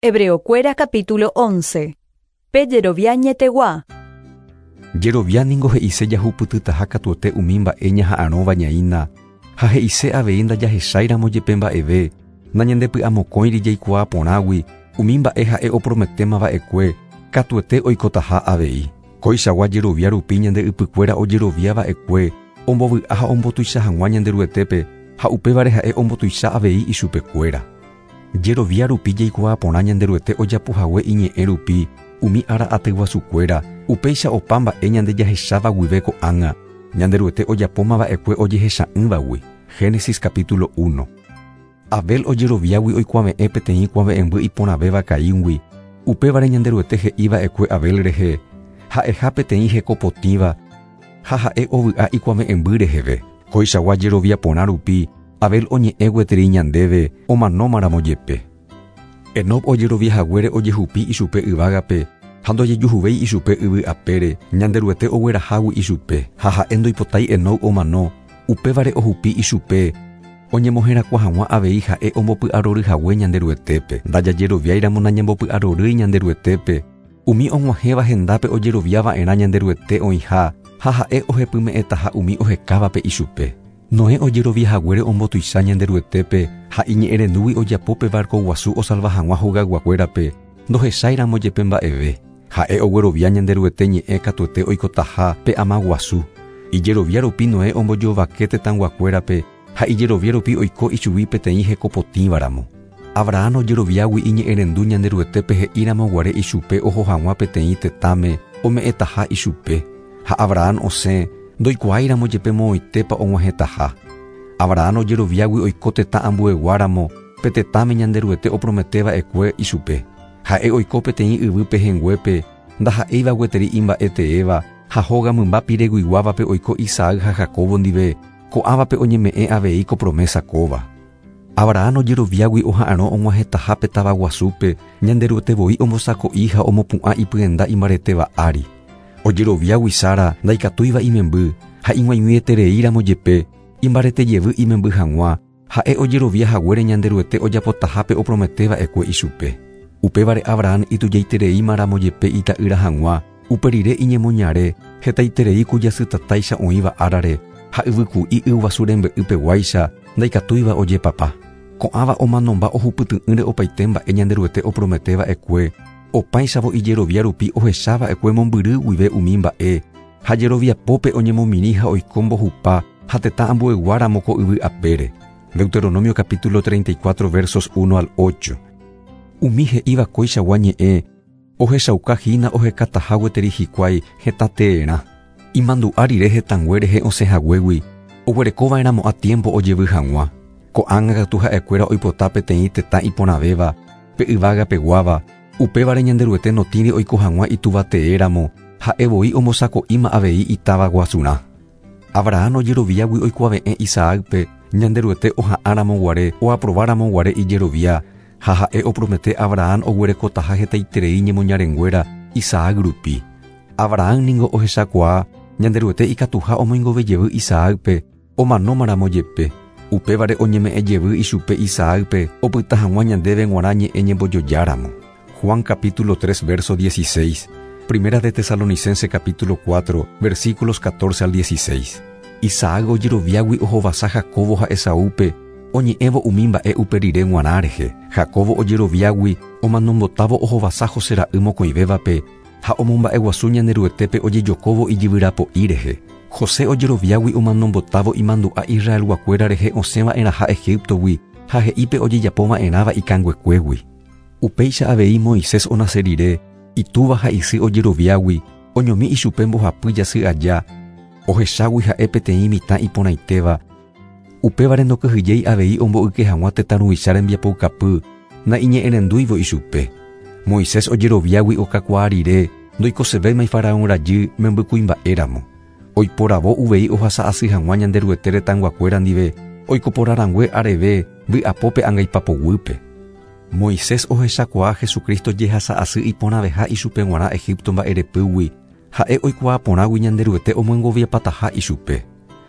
Hebreokuéra capítulo 11. Pe jerovia añetegua. Jerovia ningo he'ise jahupytytaha katuete umi mba'e ñaha'arõva ñaína, ha he'ise avei ndajahecháiramo jepe mba'eve, nañandepy'amokõiri jaikuaa porãgui umi mba'e ha'e oprometéma va'ekue katuete oikotaha avei. Koichagua jerovia rupi ñande ypykuéra ojerovia va'ekue ombovy'a ha ombotuicha hag̃ua Ñanderuetépe ha upévare ha'e ombotuicha avei ichupekuéra. Jerovia rupi jaikuaa porã Ñanderuete ojapohague iñe'ẽ rupi umi ára atyguasukuéra, upéicha opa mba'e ñande jahecháva guive ko'ág̃a, Ñanderuete ojapóma va'ekue ojehecha'ỹvagui. Génesis capítulo 1. Abel ojeroviágui oikuave'ẽ peteĩ kuave'ẽmby iporãvéva Caíngui, upévare Ñanderuete he'i va'ekue Abel rehe ha'eha peteĩ heko potĩva ha ha'e ovy'a ikuave'ẽmby reheve. Koichagua jerovia porã rupi Abel oñe'ẽ gueteri ñandéve omanómaramo jepe. Enoc ojerovia haguére ojehupi ichupe yvágape ha ndojejuhuvéi ichupe yvy apére, Ñanderuete oguerahágui ichupe, ha ha'e ndoipotái Enoc omano, upévare ohupi ichupe, oñemoherakuã hag̃ua avei ha'e ombopy'arory hague Ñanderuetépe. Ndajajeroviáiramo nañambopy'arorýi Ñanderuetépe, umi og̃uahẽva hendápe ojerovia va'erã Ñanderuete oĩha ha ha'e ohepyme'ẽtaha umi ohekávape ichupe. Noé ojerovia haguére ombotuicha Ñanderuetépe ha iñe'ẽrendúgui ojapo pe barco guasu osalva hag̃ua hogayguakuérape, ndohecháiramo jepe mba'eve. Ha'e oguerovia Ñanderuete ñe'ẽ katuete oikotaha pe ama guasu. Ijerovia rupi Noé ombojovake tetãyguakuérape ha ijerovia rupi oiko ichugui peteĩ hekopotĩvaramo. Abraham ojeroviágui iñe'ẽrendu Ñanderuetépe he'íramo guare ichupe oho hag̃ua peteĩ tetãme ome'ẽtaha ichupe, ha Abraham osẽ ndoikuaáiramo jepe moõitépa og̃uahẽtaha. Abraham ojeroviágui oiko tetã ambueguáramo pe tetãme Ñanderuete opromete va'ekue ichupe. Ha'e oiko peteĩ yvy pehẽnguépe ndaha'éiva gueteri imba'e teéva ha hóga mymba pireguiguávape oiko Isaac ha Jacobo ndive, ko'ãvape oñeme'ẽ avei ko promesa kóva. Abraham ojeroviágui oha'arõ og̃uahẽtaha pe táva guasúpe, Ñanderuete voi ombosako'i ha omopu'ã ipyenda imbaretéva ári. Ojeroviágui Sara ndaikatúiva imemby ha ig̃uaig̃uietereíramo jepe, imbarete jevy imemby hag̃ua, ha'e ojerovia haguére Ñanderuete ojapotaha pe opromete va'ekue ichupe. Upévare Abraham itujaitereíma ramo jepe ita'ýra hag̃ua, upe rire iñemoñare hetaiterei ku jasytatáicha oĩva árare ha yvyku'i yguasu rembe'ypeguáicha ndaikatúiva ojepapa. Ko'ãva omanomba ohupyty'ỹre opaite mba'e Ñanderuete opromete va'ekue, opáichavo ijerovia rupi ohecha va'ekue mombyry guive umi mba'e, ha jeroviapópe oñemomirĩ ha oiko mbohupa ha tetã ambueguáramo ko yvy apére. Deuteronomio capítulo 34 versos 1 al 8. Umi he'íva koichagua ñe'ẽ ohechauka hína ohekataha gueteri hikuái hetã teerã. Imandu'a rire hetãngue rehe osẽ haguégui, oguerekova'erãmo'ã tiempo ojevy hag̃ua. Ko'ág̃a katu ha'ekuéra oipota peteĩ tetã iporãvéva, pe yvágapeguáva, upévare Ñanderuete notĩri oiko hag̃ua itúva teéramo, ha'e voi ombosako'íma avei itáva guasurã. Abraham ojeroviágui oikuave'ẽ Isaácpe Ñanderuete oha'ãramo guare oaprováramo guare ijerovia, ha ha'e opromete Abraham oguerekotaha hetaiterei ñemoñarenguéra Isaac rupi. Abraham ningo ohechakuaa Ñanderuete ikatuha omoingove jevy Isaácpe omanómaramo jepe, upévare oñeme'ẽ jevy ichupe Isaácpe opyta hag̃ua ñandéve g̃uarã ñe'ẽ ñembojojáramo. Juan capítulo 3 verso 16, Primera de Tesalonicense capítulo 4 versículos 14 al 16. Isaac ojeroviágui ohovasa Jacobo ha Esaúpe oñe'ẽvo umi mba'e upe rire g̃uarã rehe. Jacobo ojeroviágui omanombotávo ohovasa José ra'y mokõivévape ha omomba'eguasu Ñanderuetépe ojejokóvo ijyvyrapo'i rehe. José ojeroviágui omanombotávo imandu'a Israelguakuéra rehe osẽva'erãha Egiptogui ha he'ípe ojejapova'erãva ikanguekuégui. Upéicha avei Moisés onase rire, itúva ha isy ojeroviágui, oñomi ichupe mbohapy jasy aja, ohechágui ha'e peteĩ mitã iporãitéva, upévare ndokyhyjéi avei omboyke hag̃ua tetã ruvicha rembiapoukapy naiñe'ẽrendúivo ichupe. Moisés ojeroviágui okakuaa rire ndoikosevéima Faraón rajy membykuimba'éramo. Oiporavo uvei ohasa asy hag̃ua Ñanderuete retãyguakuéra ndive oikoporãrangue areve vy'apópe angaipapoguýpe. Moisés ohechakuaa Jesucristo jehasa asy iporãveha ichupe g̃uarã Egipto mba'erepýgui, ha'e oikuaa porãgui Ñanderuete omoengoviapataha ichupe.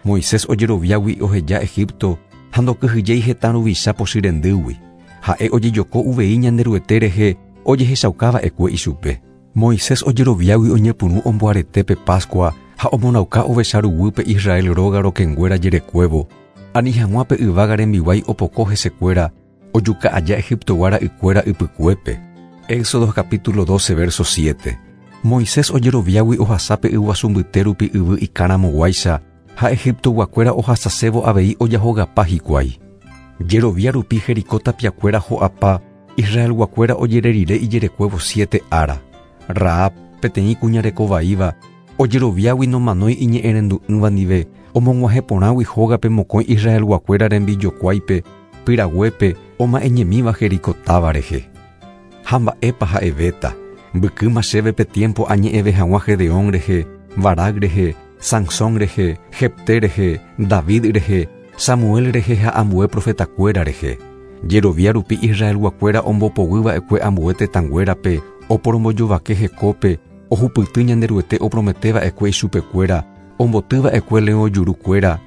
Moisés ojeroviágui oheja Egipto ha ndokyhyjéi hetã ruvicha pochyrendýgui. Ha'e ojejoko uvei Ñanderuete rehe ojehechaukava'ekue ichupe. Moisés ojeroviágui oñepyrũ omboarete pe Pascua ha omonauka ovecha ruguýpe Israel róga rokẽnguéra jerekuévo, ani hag̃ua pe yvága rembiguái opoko hesekuéra ojuka aja Egiptogua ra'ykuéra ypykuépe. Éxodo capítulo 12 verso 7. Moisés ojeroviágui ohasa pe yguasu mbyte rupi yvy ikãramoguáicha ha Egiptoguakuéra ohasasévo avei ojahogapa hikuái. Jerovia rupi Jericó tapiakuéra ho'apa Israelguakuéra ojere rire ijerekuévo siete ára. Rahab, peteĩ kuña rekovaíva, ojeroviágui nomanói iñe'ẽrendu'ỹva ndive, omog̃uahẽ porãgui hógape mokõi Israelguakuéra rembijokuáipe, pyraguépe, oma'ẽñemíva Jericó táva rehe. Ha mba'épa ha'evéta? Mbykýma chéve pe tiempo añe'ẽve hag̃ua Gedeón rehe, Barac rehe, Sansón rehe, Jefté rehe, David rehe, Samuel rehe ha ambue profetakuéra rehe. Jerovia rupi Israelguakuéra ombopoguýva'ekue ambue tetãnguérape, oporombojovake hekópe, ohupyty Ñanderuete oprometeva'ekue ichupekuéra, ombotýva'ekue leõ jurukuéra,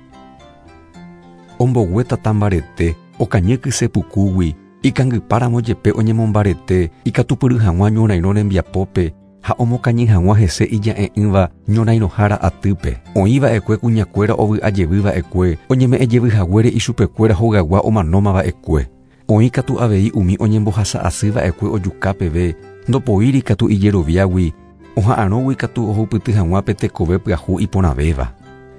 ombogue tata mbarete, okañy kyse pukúgui, ikangypáramo jepe oñemombarete, ikatupyry hag̃ua ñorairõ rembiapópe ha omokañy hag̃ua hese ija'e'ỹva ñorairõhára atýpe. Oĩva'ekue kuñakuéra ovy'ajevýva'ekue, oñeme'ẽjevyhaguére ichupekuéra hogaygua omanómava'ekue. Oĩ katu avei umi oñembohasa'asýva'ekue ojuka peve, ndopoíri katu ijeroviágui, oha'arõgui katu ohupyty hag̃ua pe tekove pyahu iporãvéva,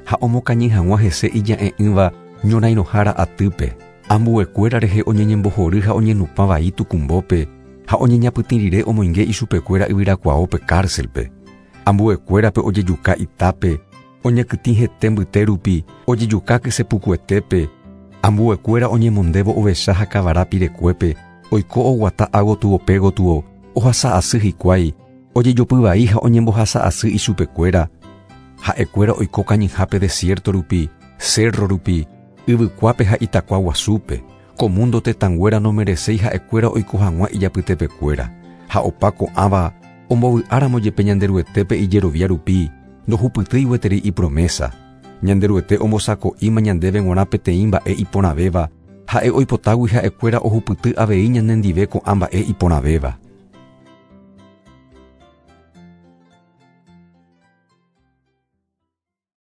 ha omokañy hag̃ua hese ija'e'ỹva ñorairõhára atýpe. Ambuekuéra rehe oñeñembohory ha oñenupã vai tukumbópe ha oñeñapytĩ rire omoinge ichupekuéra yvyrakuaópe cárcelpe. Ambuekuérape ojejuka itápe, oñekytĩ hete mbyte rupi, ojejuka kysepukuetépe, ambuekuéra oñemondévo ovecha ha kavara pirekuépe, oiko oguata ágotyo pégotyo, ohasa'asy hikuái, ojejopy vai ha oñembohasa'asy ichupekuéra. Ha'ekuéra oiko kañyhápe desierto rupi, cerro rupi, yvykuápe ha itakua guasúpe. Ko mundo tetãnguéra nomereséi ha'ekuéra oiko hag̃ua ijapytepekuéra. Ha opa ko'ãva ombovy'áramo jepe Ñanderuetépe ijerovia rupi, ndohupytýi gueteri ipromesa. Ñanderuete ombosako'íma ñandéve g̃uarã peteĩ mba'e iporãvéva, ha'e oipotágui ha'ekuéra ohupyty avei ñanendive ko'ã mba'e iporãvéva.